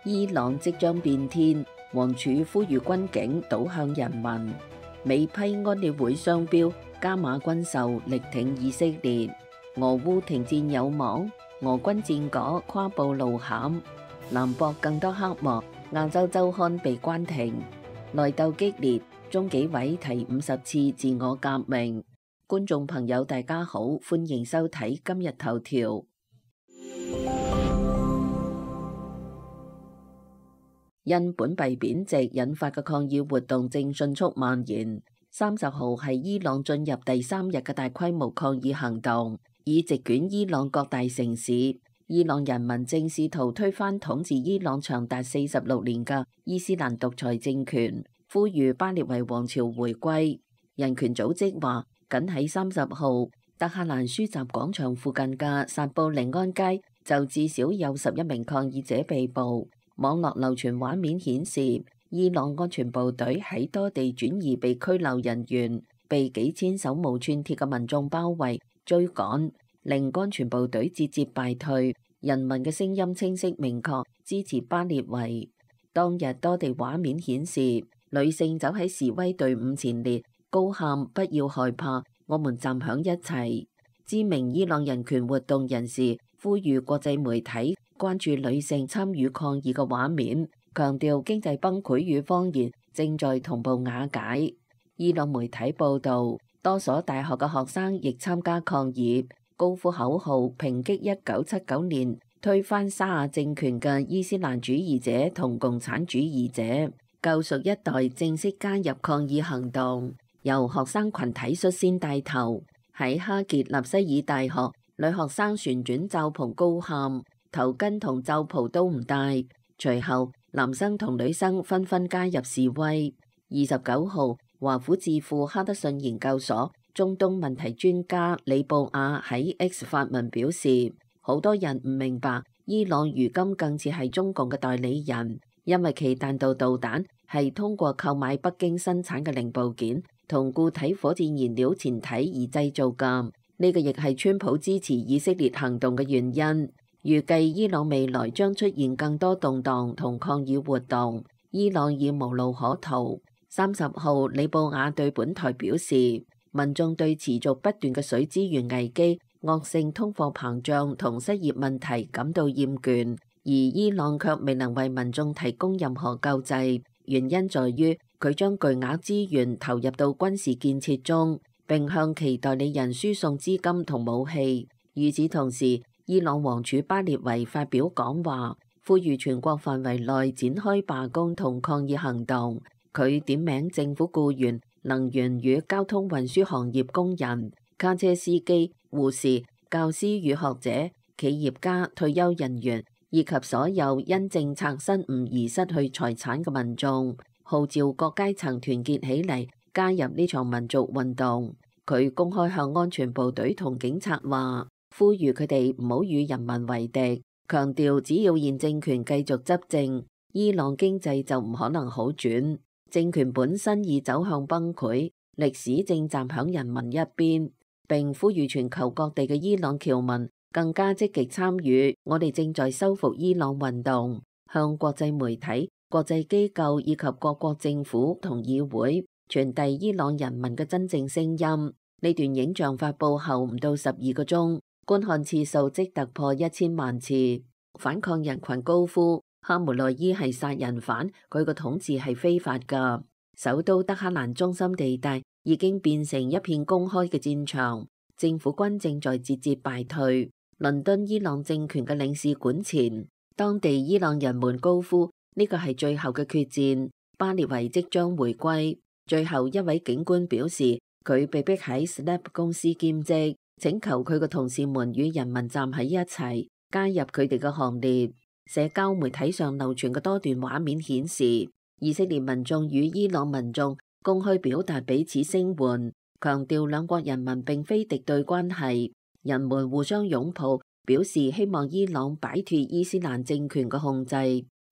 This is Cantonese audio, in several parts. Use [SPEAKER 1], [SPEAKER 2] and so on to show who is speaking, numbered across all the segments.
[SPEAKER 1] 伊朗即將變天，王儲呼籲軍警倒向人民。美批安理會商標加碼軍售，力挺以色列。俄烏停戰有望，俄軍戰果跨步路險。南博更多黑幕，亞洲週刊被關停。內鬥激烈，中紀委提50次自我革命。觀眾朋友大家好，歡迎收睇今日頭條。因本幣貶值引發嘅抗議活動正迅速蔓延。30號係伊朗進入第3日嘅大規模抗議行動，已席捲伊朗各大城市。伊朗人民正試圖推翻統治伊朗長達46年嘅伊斯蘭獨裁政權，呼籲巴列維王朝回歸。人權組織話，僅喺30號，德黑蘭書集廣場附近嘅薩布寧安街就至少有11名抗議者被捕。網絡流傳畫面顯示，伊朗安全部隊喺多地轉移被拘留人員，被幾千手無寸鐵嘅民眾包圍追趕，令安全部隊節節敗退。人民嘅聲音清晰明確，支持巴列維。當日多地畫面顯示，女性走喺示威隊伍前列，高喊不要害怕，我們站響一齊。知名伊朗人權活動人士呼籲國際媒體關注女性參與抗議嘅畫面，強調經濟崩潰與謊言正在同步瓦解。伊朗媒體報導，多所大學嘅學生亦參加抗議，高呼口號，抨擊1979年推翻沙亞政權嘅伊斯蘭主義者同共產主義者，救贖一代正式加入抗議行動，由學生群體率先帶頭。喺哈傑納西爾大學，女學生旋轉罩袍高喊，頭巾同罩袍都唔戴。隨後，男生同女生紛紛加入示威。29號，華府智庫哈德遜研究所中東問題專家李布亞喺 X 發文表示，好多人唔明白伊朗如今更似係中共嘅代理人，因為其彈道導彈係通過購買北京生產嘅零部件同固體火箭燃料前體而製造㗎。呢個亦係川普支持以色列行動嘅原因。預計伊朗未來將出現更多動盪同抗議活動，伊朗已無路可逃。30號，李布亞對本台表示，民眾對持續不斷嘅水資源危機、惡性通貨膨脹同失業問題感到厭倦，而伊朗卻未能為民眾提供任何救濟。原因在於佢將巨額資源投入到軍事建設中，並向其代理人輸送資金同武器。與此同時，伊朗王儲巴列維發表講話，呼籲全國範圍內展開罷工同抗議行動。佢點名政府僱員、能源與交通運輸行業工人、卡車司機、護士、教師與學者、企業家、退休人員以及所有因政策失誤而失去財產嘅民眾，號召各階層團結起嚟加入呢場民族運動。佢公開向安全部隊同警察話，呼籲佢哋唔好與人民為敵，強調只要現政權繼續執政，伊朗經濟就唔可能好轉。政權本身已走向崩潰，歷史正站響人民一邊，並呼籲全球各地嘅伊朗僑民更加積極參與我哋正在修復伊朗運動，向國際媒體、國際機構以及各國政府同議會傳遞伊朗人民嘅真正聲音。呢段影像發佈後唔到12個鐘，觀看次數即突破1000萬次。反抗人群高呼哈梅內伊係殺人犯，佢個統治係非法㗎。首都德黑蘭中心地帶已經變成一片公開嘅戰場，政府軍正在節節敗退。倫敦伊朗政權嘅領事館前，當地伊朗人們高呼呢個係最後嘅決戰，巴列維即將回歸。最後一位警官表示，佢被逼喺 Snap 公司兼職，請求佢嘅同事們與人民站喺一齊，加入佢哋嘅行列。社交媒體上流傳嘅多段畫面顯示，以色列民眾與伊朗民眾公開表達彼此聲援，強調兩國人民並非敵對關係。人們互相擁抱，表示希望伊朗擺脫伊斯蘭政權嘅控制。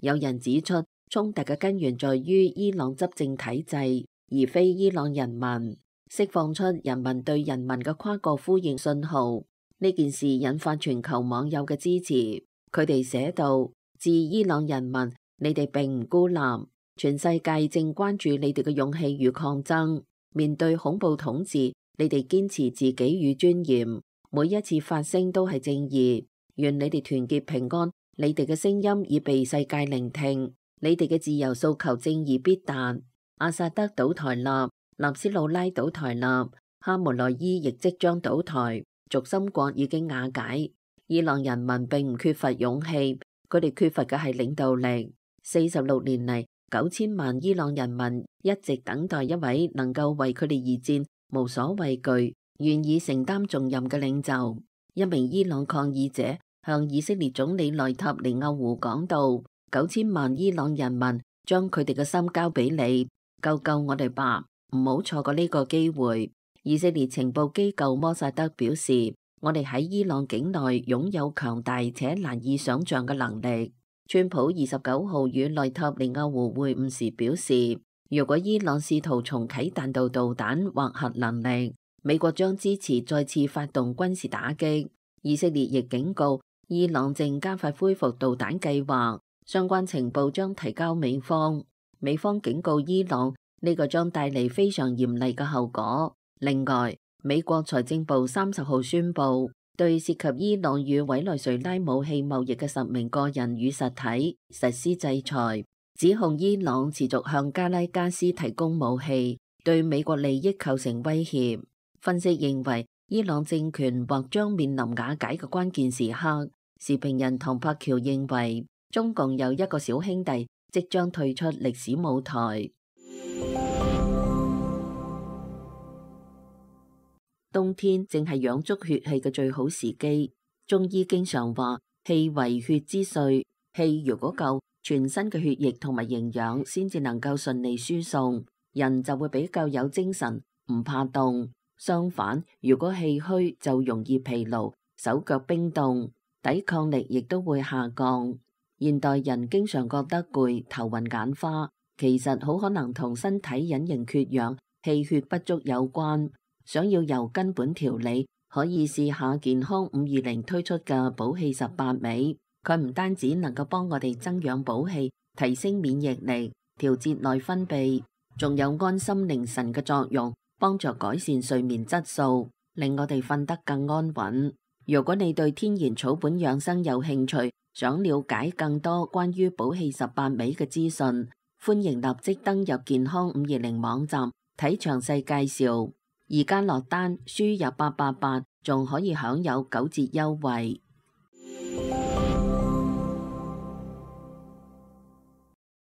[SPEAKER 1] 有人指出，衝突嘅根源在於伊朗執政體制，而非伊朗人民，釋放出人民對人民嘅跨國呼應信號。呢件事引發全球網友嘅支持。佢哋寫道：致伊朗人民，你哋並唔孤立，全世界正關注你哋嘅勇氣與抗爭。面對恐怖統治，你哋堅持自己與尊嚴，每一次發聲都係正義。願你哋團結平安，你哋嘅聲音已被世界聆聽，你哋嘅自由訴求正義必達。阿薩德倒台啦，納斯魯拉倒台啦，哈梅內伊亦即將倒台，軸心國已經瓦解。伊朗人民並唔缺乏勇氣，佢哋缺乏嘅係領導力。46年嚟，9000萬伊朗人民一直等待一位能夠為佢哋而戰、無所畏懼、願意承擔重任嘅領袖。一名伊朗抗議者向以色列總理內塔尼亞胡講道：9000萬伊朗人民將佢哋嘅心交俾你，救救我哋吧，唔好錯過呢個機會。以色列情報機構摩薩德表示，我哋喺伊朗境內擁有強大且難以想象嘅能力。川普29號與內塔尼亞胡會晤時表示，如果伊朗試圖重啟彈道導彈或核能力，美國將支持再次發動軍事打擊。以色列亦警告，伊朗正加快恢復導彈計劃，相關情報將提交美方。美方警告伊朗，呢個將帶嚟非常嚴厲嘅後果。另外，美國財政部30號宣布，對涉及伊朗與委內瑞拉武器貿易嘅10名個人與實體實施制裁，指控伊朗持續向加拉加斯提供武器，對美國利益構成威脅。分析認為，伊朗政權或將面臨瓦解嘅關鍵時刻。時評人唐柏橋認為，中共有一個小兄弟即將退出歷史舞台。冬天正係養足血氣嘅最好時機。中醫經常話，氣為血之髓，氣如果夠，全身嘅血液同埋營養先至能夠順利輸送，人就會比較有精神，唔怕凍。相反，如果氣虛就容易疲勞，手腳冰凍，抵抗力亦都會下降。現代人經常覺得攰、頭暈眼花，其實好可能同身體隱形缺氧、氣血不足有關。想要由根本調理，可以試下健康520推出嘅補氣18味。佢唔單止能夠幫我哋增養補氣、提升免疫力、調節內分泌，仲有安心寧神嘅作用，幫助改善睡眠質素，令我哋瞓得更安穩。如果你對天然草本養生有興趣，想了解更多關於補氣18味嘅資訊，歡迎立即登入健康520網站睇詳細介紹。而家落單輸入888，仲可以享有9折優惠。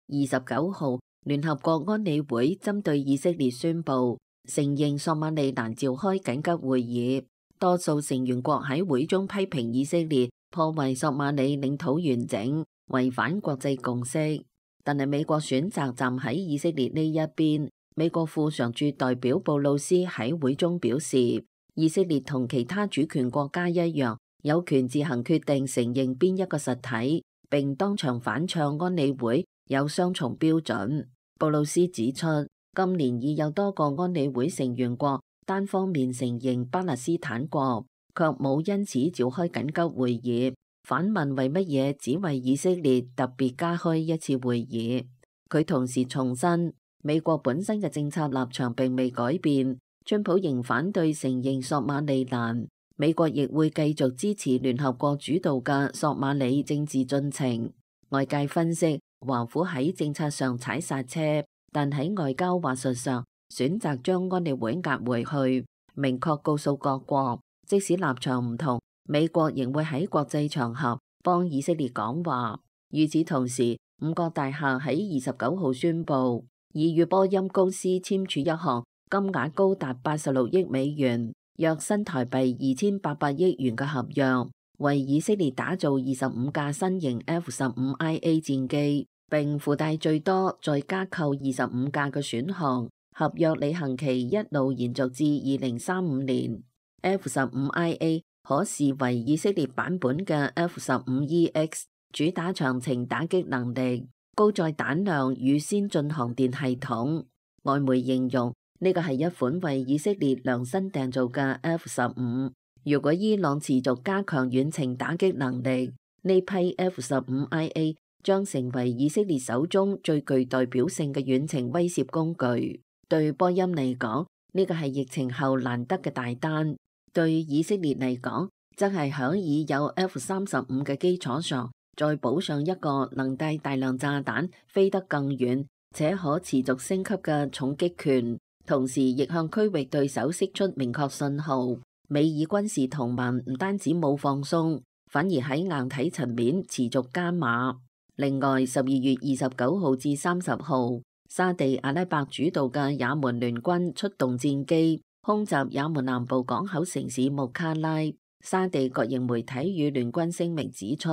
[SPEAKER 1] 29號，聯合國安理會針對以色列宣布承認索馬利蘭召開緊急會議，多數成員國喺會中批評以色列破壞索馬里領土完整，違反國際共識。但係美國選擇站喺以色列呢一邊。美國副常駐代表布魯斯喺會中表示，以色列同其他主權國家一樣，有權自行決定承認邊一個實體，並當場反唱安理會有雙重標準。布魯斯指出，今年已有多個安理會成員國單方面承認巴勒斯坦國，卻冇因此召開緊急會議。反問為乜嘢只為以色列特別加開一次會議？佢同時重申，美國本身嘅政策立場並未改變，川普仍反對承認索馬利蘭，美國亦會繼續支持聯合國主導嘅索馬里政治進程。外界分析，華府喺政策上踩剎車，但喺外交話術上選擇將安理會壓回去，明確告訴各國，即使立場唔同，美國仍會喺國際場合幫以色列講話。與此同時，五角大廈喺29號宣布，已與波音公司簽署一項金額高達86億美元，約新台幣2800億元嘅合約，為以色列打造25架新型 F-15IA 戰機，並附帶最多再加購25架嘅選項。合約履行期一路延續至2035年。F-15IA 可視為以色列版本嘅 F-15EX，主打長程打擊能力、高載彈量與先進航電系統。外媒形容呢個係一款為以色列量身訂造嘅 F-15。如果伊朗持續加強遠程打擊能力，呢批 F-15IA 將成為以色列手中最具代表性嘅遠程威懾工具。對波音嚟講，呢個係疫情後難得嘅大單；對以色列嚟講，則係響已有 F-35嘅基礎上，再補上一個能帶大量炸彈、飛得更遠且可持續升級嘅重擊權，同時亦向區域對手釋出明確信號。美以軍事同盟唔單止冇放鬆，反而喺硬體層面持續加碼。另外，12月29號至30號，沙地阿拉伯主導嘅也門聯軍出動戰機，空襲也門南部港口城市穆卡拉。沙地國營媒體與聯軍聲明指出，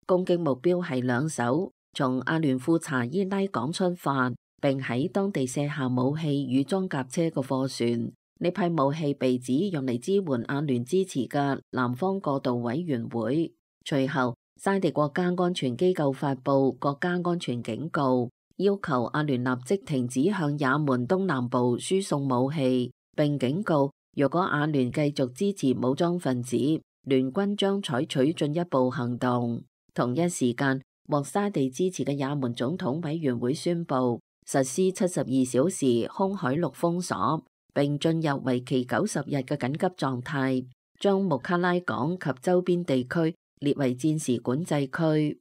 [SPEAKER 1] 攻擊目標係兩艘從阿聯庫查伊拉港出發，並喺當地卸下武器與裝甲車嘅貨船。呢批武器被指用嚟支援阿聯支持嘅南方過渡委員會。隨後，沙地國家安全機構發布國家安全警告，要求阿聯立即停止向也門東南部輸送武器，並警告若果阿聯繼續支持武裝分子，聯軍將採取進一步行動。同一時間，獲沙地支持嘅也門總統委員會宣布實施72小時空海陸封鎖，並進入為期90日嘅緊急狀態，將穆卡拉港及周邊地區列為戰時管制區。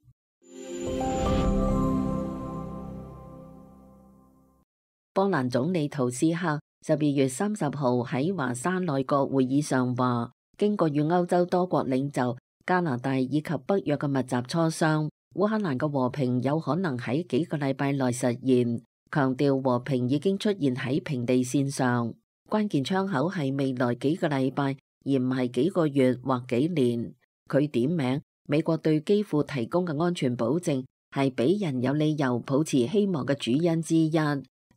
[SPEAKER 1] 波蘭總理圖斯克12月30號喺華沙內閣會議上話，經過與歐洲多國領袖、加拿大以及北約嘅密集磋商，烏克蘭嘅和平有可能喺幾個禮拜內實現，強調和平已經出現喺平地線上。關鍵窗口係未來幾個禮拜，而唔係幾個月或幾年。佢點名美國對基輔提供嘅安全保證係俾人有理由抱持希望嘅主因之一，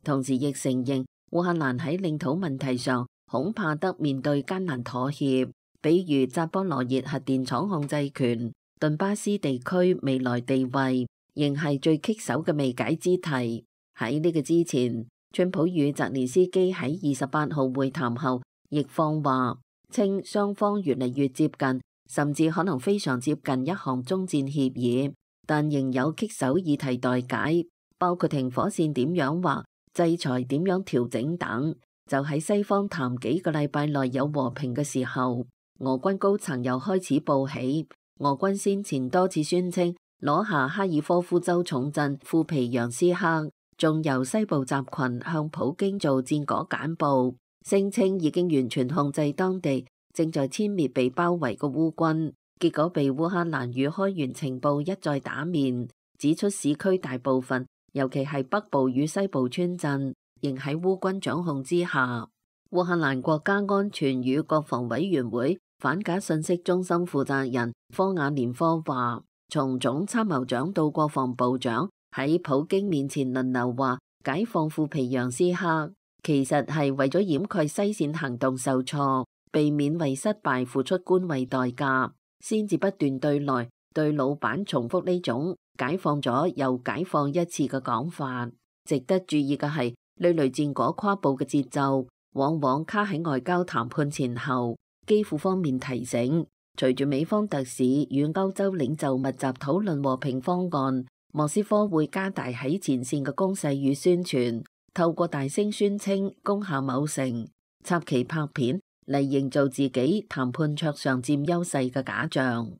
[SPEAKER 1] 同時亦承認烏克蘭喺領土問題上恐怕得面對艱難妥協，比如扎波羅熱核電廠控制權、頓巴斯地區未來地位，仍係最棘手嘅未解之題。喺呢個之前，川普與澤連斯基喺28號會談後，亦放話稱雙方越嚟越接近，甚至可能非常接近一項終戰協議，但仍有棘手議題待解，包括停火線點樣劃、制裁點樣調整等。就喺西方談幾個禮拜內有和平嘅時候，俄軍高層又開始報喜。俄軍先前多次宣稱攞下哈爾科夫州重鎮庫皮揚斯克，仲由西部集群向普京做戰果簡報，聲稱已經完全控制當地，正在殲滅被包圍嘅烏軍。結果被烏克蘭與開源情報一再打面，指出市區大部分，尤其係北部與西部村鎮，仍喺烏軍掌控之下。烏克蘭國家安全與國防委員會反假信息中心負責人科瓦連科話，從總參謀長到國防部長喺普京面前輪流話解放庫皮揚斯克，其實係為咗掩蓋西線行動受挫，避免為失敗付出官位代價，先至不斷對內對老闆重複呢種解放咗又解放一次嘅講法。值得注意嘅係，呢類戰果跨步嘅節奏往往卡喺外交談判前後。基輔方面提醒，隨住美方特使與歐洲領袖密集討論和平方案，莫斯科會加大喺前線嘅攻勢與宣傳，透過大聲宣稱攻下某城，插旗拍片嚟營造自己談判桌上佔優勢嘅假象。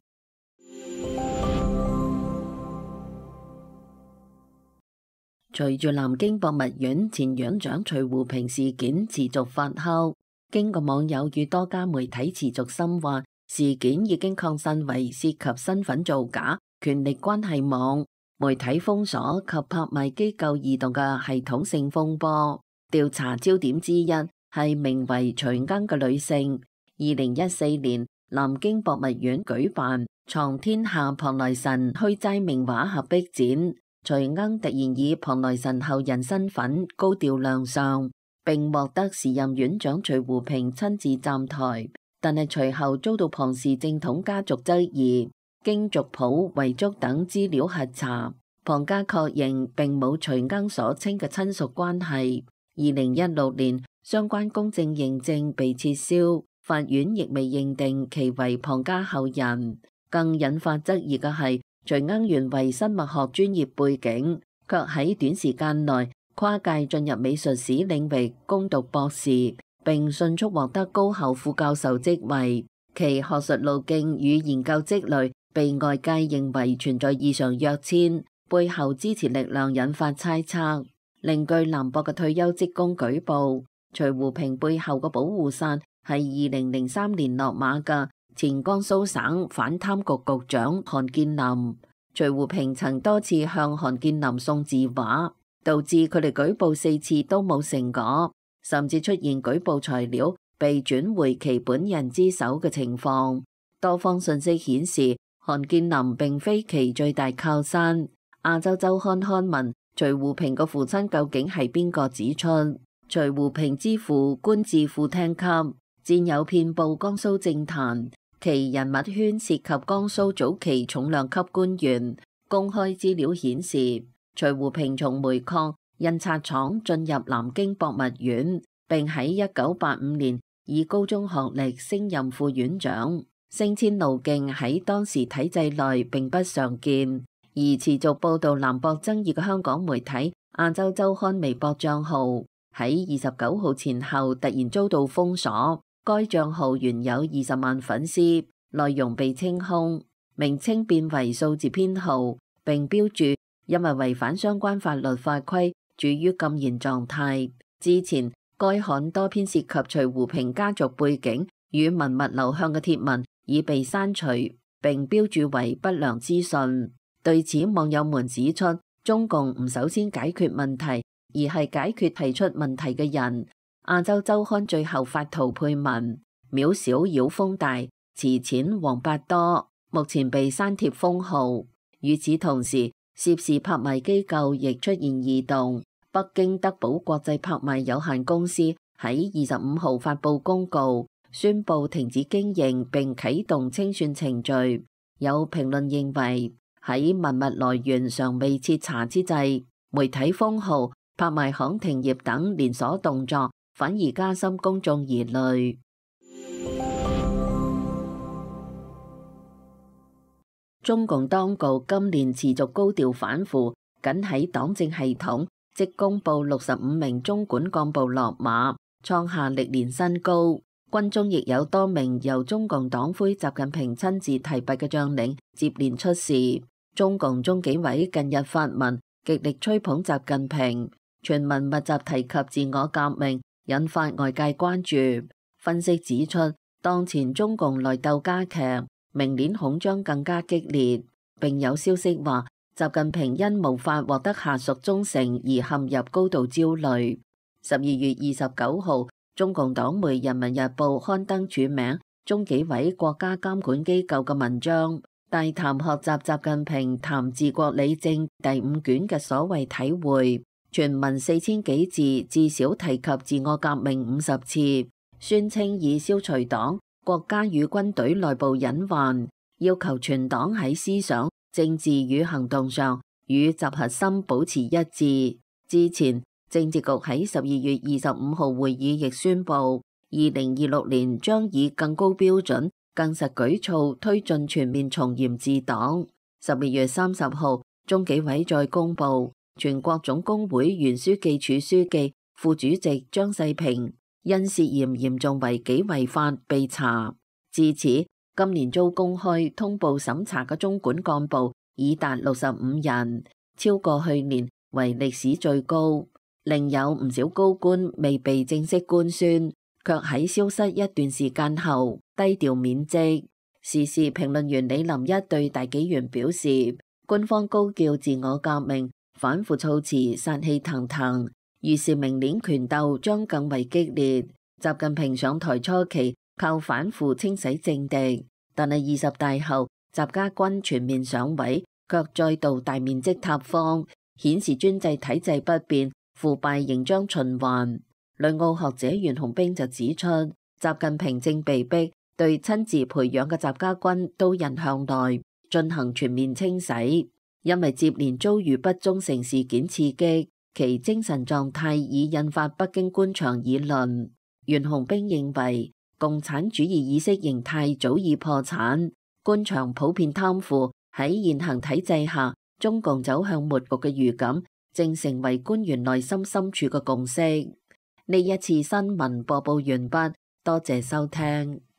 [SPEAKER 1] 隨住南京博物院前院長徐湖平事件持續發酵，經過網友與多家媒體持續深挖，事件已經擴散為涉及身份造假、權力關係網、媒體封鎖及拍賣機構異動嘅系統性風波。調查焦點之一係名為徐鶯嘅女性。2014年，南京博物院舉辦《藏天下龐來神虛齋名畫合璧展》，徐鶯突然以龐來神後人身份高調亮相，並獲得時任院長徐湖平親自站台，但係隨後遭到龐氏正統家族質疑。經族譜、遺囑等資料核查，龐家確認並冇徐鶯所稱嘅親屬關係。2016年，相關公證認證被撤銷，法院亦未認定其為龐家後人。更引發質疑嘅係徐鶯原為生物學專業背景，卻喺短時間內跨界進入美術史領域攻讀博士，並迅速獲得高校副教授職位。其學術路徑與研究積累被外界認為存在異常躍遷，背後支持力量引發猜測。另據南博嘅退休職工舉報，徐湖平背後嘅保護傘係2003年落馬嘅前江蘇省反貪局局長韓建林。徐湖平曾多次向韓建林送字畫，導致佢哋舉報4次都冇成果，甚至出現舉報材料被轉回其本人之手嘅情況。多方信息顯示，韓建林並非其最大靠山。亞洲週刊刊問徐湖平個父親究竟係邊個，指出徐湖平之父官至副廳級，戰友遍佈江蘇政壇，其人物圈涉及江蘇早期重量級官員。公開資料顯示，徐湖平從煤礦、印刷廠進入南京博物院，並喺1985年以高中學歷升任副院長，升遷路徑喺當時體制內並不常見。而持續報導南博爭議嘅香港媒體亞洲週刊微博帳號喺29號前後突然遭到封鎖，該帳號原有20萬粉絲，內容被清空，名稱變為數字編號，並標註因為違反相關法律法規，處於禁言狀態。之前該刊多篇涉及徐湖平家族背景與文物流向嘅帖文已被刪除，並標註為不良資訊。對此，網友們指出，中共唔首先解決問題，而係解決提出問題嘅人。亞洲週刊最後發圖配文：渺小妖風大，池淺王八多，目前被刪帖封號。與此同時，涉事拍賣機構亦出現異動。北京德寶國際拍賣有限公司喺25號發布公告，宣布停止經營並啟動清算程序。有評論認為，喺文物來源尚未徹查之際，媒體封號、拍賣行停業等連鎖動作，反而加深公眾疑慮。中共當局今年持續高調反腐，僅喺黨政系統即公布65名中管幹部落馬，創下歷年新高。軍中亦有多名由中共黨魁習近平親自提拔嘅將領接連出事。中共中紀委近日發文極力吹捧習近平，全文密集提及自我革命，引發外界關注。分析指出，當前中共內鬥加劇，明年恐將更加激烈。並有消息話，習近平因無法獲得下屬忠誠而陷入高度焦慮。12月29號，中共黨媒《人民日報》刊登署名中紀委國家監管機構嘅文章，大談學習習近平談治國理政第5卷嘅所謂體會，全文4000幾字，至少提及自我革命50次，宣稱以消除黨、國家與軍隊內部隱患，要求全黨喺思想、政治與行動上與習核心保持一致。之前，政治局喺12月25號會議亦宣布，2026年將以更高標準、更實舉措推進全面從嚴治黨。12月30號，中紀委再公布，全國總工會原書記處書記、副主席張世平因涉嫌嚴重違紀違法被查。至此，今年遭公開通報審查嘅中管幹部已達65人，超過去年為歷史最高。另有唔少高官未被正式官宣，卻喺消失一段時間後低調免職。時事評論員李林一對大紀元表示，官方高叫自我革命，反腐措辭殺氣騰騰，預示明年權鬥將更為激烈。習近平上台初期靠反腐清洗政敵，但係20大後習家軍全面上位，卻再度大面積塌方，顯示專制體制不變，腐敗仍將循環。旅澳學者袁洪兵就指出，習近平正被逼對親自培養嘅習家軍刀刃向內進行全面清洗，因為接連遭遇不忠誠事件刺激，其精神狀態已引發北京官場議論。袁洪兵認為，共產主義意識形態早已破產，官場普遍貪腐，喺現行體制下，中共走向末局嘅預感正成為官員內心深處嘅共識。呢一次新聞播報完畢，多謝收聽。